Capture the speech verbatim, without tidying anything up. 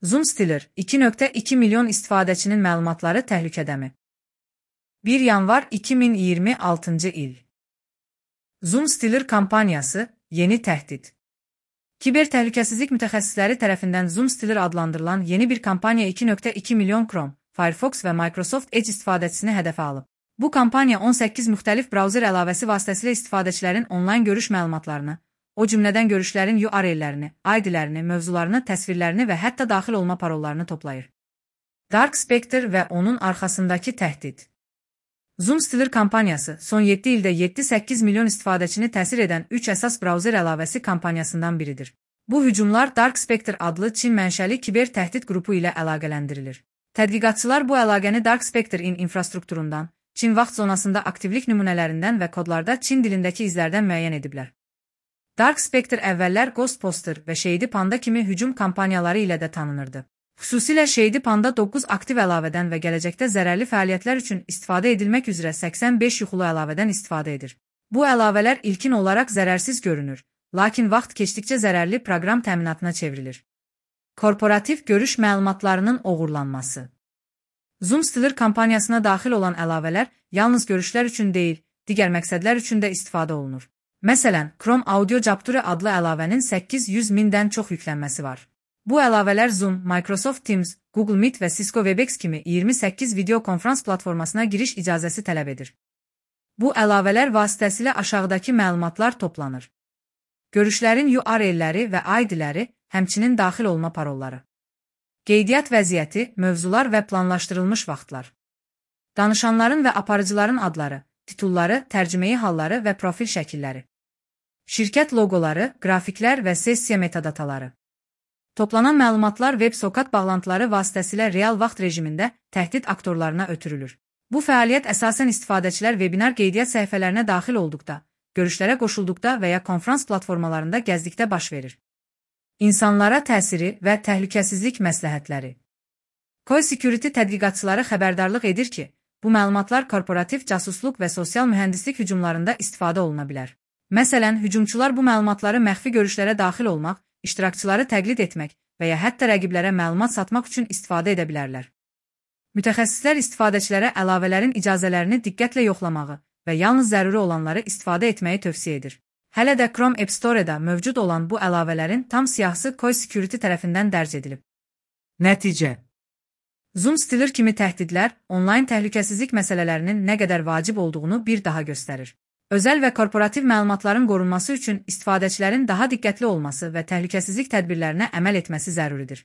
Zoom Stealer iki nöqtə iki milyon istifadəçinin məlumatları təhlükədəmi? bir yanvar iki min iyirmi altıncı il. Zoom Stealer kampaniyası yeni təhdid. Kiber təhlükəsizlik mütəxəssisləri tərəfindən Zoom Stealer adlandırılan yeni bir kampaniya iki nöqtə iki milyon Chrome, Firefox və Microsoft Edge istifadəçisini hədəfə alıb. Bu kampaniya on səkkiz müxtəlif brauzer əlavəsi vasitəsilə istifadəçilərin onlayn görüş məlumatlarını, o cümlədən görüşlərin U R L-lərini, I D-lərini, mövzularını, təsvirlərini və hətta daxil olma parollarını toplayır. Dark Spectre və onun arxasındakı təhdid. Zoom Stealer kampaniyası son yeddi ildə yeddi səkkiz milyon istifadəçini təsir edən üç əsas brauzer əlavəsi kampaniyasından biridir. Bu hücumlar Dark Spectre adlı Çin mənşəli kiber təhdid qrupu ilə əlaqələndirilir. Tədqiqatçılar bu əlaqəni Dark Spectre-in infrastrukturundan, Çin vaxt zonasında aktivlik nümunələrindən və kodlarda Çin dilindəki izlərdən müəyyən ediblər. Dark Spectre əvvəllər Ghost Poster və Shady Panda kimi hücum kampaniyaları ilə də tanınırdı. Xüsusilə Shady Panda doqquz aktiv əlavədən və gələcəkdə zərərli fəaliyyətlər üçün istifadə edilmək üzrə səksən beş yuxulu əlavədən istifadə edir. Bu əlavələr ilkin olaraq zərərsiz görünür, lakin vaxt keçdikcə zərərli proqram təminatına çevrilir. Korporativ görüş məlumatlarının oğurlanması. Zoom Stealer kampaniyasına daxil olan əlavələr yalnız görüşlər üçün deyil, digər məqsədlər üçün də istifadə olunur. Məsələn, Chrome Audio Capture adlı əlavənin səkkiz yüz mindən çox yüklənməsi var. Bu əlavələr Zoom, Microsoft Teams, Google Meet və Cisco Webex kimi iyirmi səkkiz video konferans platformasına giriş icazəsi tələb edir. Bu əlavələr vasitəsilə aşağıdakı məlumatlar toplanır. Görüşlərin U R L-ləri və I D-ləri, həmçinin daxil olma parolları. Qeydiyyat vəziyyəti, mövzular və planlaşdırılmış vaxtlar. Danışanların və aparıcıların adları, titulları, tərcüməyi halları və profil şəkilləri. Şirkət loqoları, qrafiklər və sessiya metadataları. Toplanan məlumatlar web-sokat bağlantıları vasitəsilə real vaxt rejimində təhdid aktorlarına ötürülür. Bu fəaliyyət əsasən istifadəçilər webinar qeydiyyat səhifələrinə daxil olduqda, görüşlərə qoşulduqda və ya konferans platformalarında gəzdikdə baş verir. İnsanlara təsiri və təhlükəsizlik məsləhətləri. Koi Security tədqiqatçıları xəbərdarlıq edir ki, bu məlumatlar korporativ casusluq və sosial mühəndislik hücumlarında istifadə oluna bilər. Məsələn, hücumçular bu məlumatları məxfi görüşlərə daxil olmaq, iştirakçıları təqlid etmək və ya hətta rəqiblərə məlumat satmaq üçün istifadə edə bilərlər. Mütəxəssislər istifadəçilərə əlavələrin icazələrini diqqətlə yoxlamağı və yalnız zəruri olanları istifadə etməyi tövsiyə edir. Hələ də Chrome App Store-da mövcud olan bu əlavələrin tam siyahısı Koi Security tərəfindən dərc edilib. Nəticə. Zoom Stealer kimi təhdidlər onlayn təhlükəsizlik məsələlərinin nə qədər vacib olduğunu bir daha göstərir. Özəl və korporativ məlumatların qorunması üçün istifadəçilərin daha diqqətli olması və təhlükəsizlik tədbirlərinə əməl etməsi zəruridir.